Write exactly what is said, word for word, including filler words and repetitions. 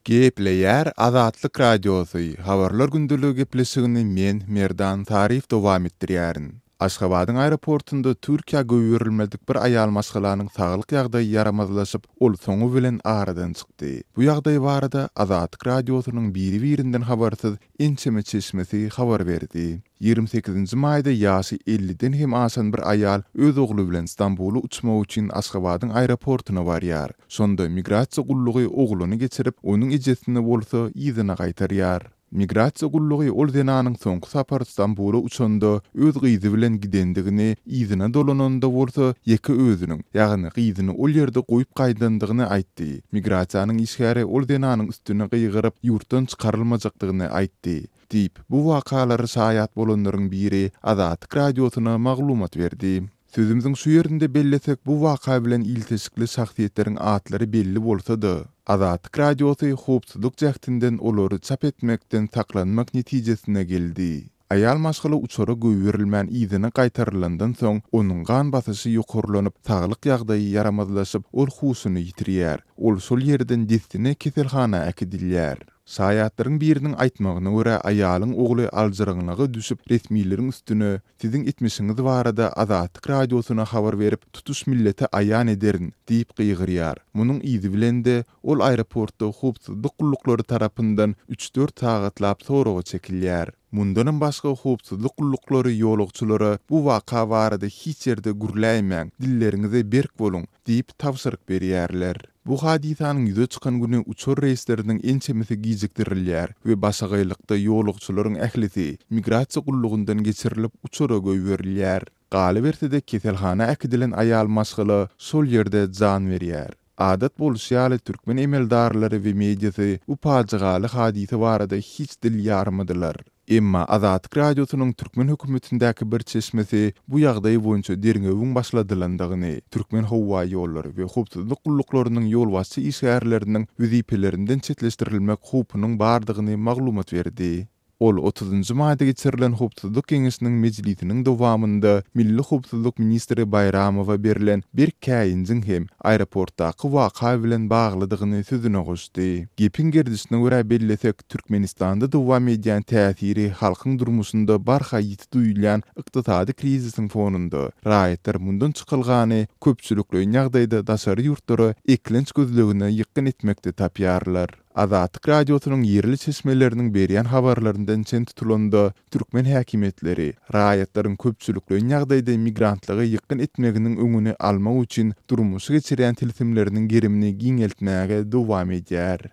Gepleýär Azatlyk Radiosy, Habarlar gündeligi gepleşigini men, Merdan Taryf dowam etdirýärin. Aşgabadyň aeroportunda Türkiýä goýberilmedik bir aýal maşgalanyň saglyk ýagdaýy ýaramazlaşyp, ol soňy bilen aradan çykdy. Bu ýagdaý barada Azatlyk Radiosynyň biri-birinden habarsyz ençeme çeşmesi habar berdi. Ýigrimi sekizinji maýda ýaşy elliden hem aşan bir aýal öz ogly bilen Stambula uçmak üçin Aşgabadyň aeroportuna barýar. Şonda migrasiýa gullugy ogluny geçirip, onuň ejesini bolsa yzyna gaýtarýar. Migrasiýa gullugy ol zenanyň soňky sapar Stambula uçanda öz gyzy bilen gidendigini, yzyna dolananda bolsa ýeke özüniň, ýagny gyzyny ol ýerde goýup gaýdandygyny aýtdy. Migrasiýanyň işgäri ol zenanyň üstüne gygyryp, ýurtdan çykarylmajakdygyny aýtdy. Diýip, bu wakalara şaýat bolanlaryň biri Azatlyk Radiosyna maglumat berdi. Sözümiziň şu ýerinde bellesek, bu waka bilen ilteşikli şahsyýetleriň atlary belli bolsa-da, Azatlyk Radiosy howpsuzlyk jähtinden olary çap etmekden saklanmak netijesine geldi. Aýal maşgala uçara goýberilmän yzyna gaýtarylandan soň, onuň gan basyşy ýokarlanyp, saglyk ýagdaýy ýaramazlaşyp, ol huşuny ýitirýär. Ol şol ýerden dessine keselhana äkidilýär. Şaýatlaryň biriniň aýtmagyna görä, aýalyň ogly aljyraňlyga düşüp, resmileriň üstüne Siziň etmişiňiz barada Azatlyk Radiosyna habar berip, tutuş millete aýan ederin diýip gygyrýar. Munuň yzy bilen-de, ol aeroportda howpsuzlyk gulluklary tarapyndan üç-dört sagatlap soraga çekilýär. Mundanam başga howpsuzlyk gulluklary ýolagçylara bu waka barada hiç ýerde gürläýmäň, dilleriňize berk boluň diýip tabşyryk berýärler. Bu hadysanyň ýüze çykan güni uçar reýsleriniň ençemesi gijikdirilýär we başagaýlykda ýolagçylaryň ählisi migrasiýa gullugyndan geçirilip uçara goýberilýär. Galyberse-de keselhana äkidilen aýal maşgala şol ýerde jan berýär. Adat bolşy ýaly türkmen emeldarlary we mediasy bu pajygaly hadysa barada hiç dil ýarmadylar. Emma Azatlyk Radiosynyň türkmen hökümetindäki bir çeşmesi bu ýagdaý boýunça derňewiň başladylandygyny, Türkmenhowaýollary we howpsuzlyk gulluklarynyň ýolbaşçy işgärleriniň wezipelerinden çetleşdirilmek howpunyň bardygyny maglumat berdi. Ol otuzynjy maýda geçirilen Howpsuzlyk geňeşiniň mejlisiniň dowamynda Milli howpsuzlyk ministri Baýramowa berlen berk käýinjiň hem aeroportdaky waka bilen baglydygyny sözüne goşdy. Gepiň gerdişine görä bellesek, Türkmenistanda dowam edýän täsiri halkyň durmuşynda barha ýiti duýulýan ykdysady krizisiň fonunda raýatlar mundan çykalgany köpçülikleýin ýagdaýda daşary ýurtlara eklenç gözlegine ýykgyn etmekde tapýarlar. Azatlyk Radiosynyň ýerli çeşmeleriniň berýän habarlaryndan çen tutulanda, türkmen häkimiýetleri raýatlaryň köpçülikleýin ýagdaýda migrantlyga ýykgyn etmeginiň öňüni almak üçin durmuşa geçirýän tilsimleriniň gerimini giňeltmäge dowam edýär.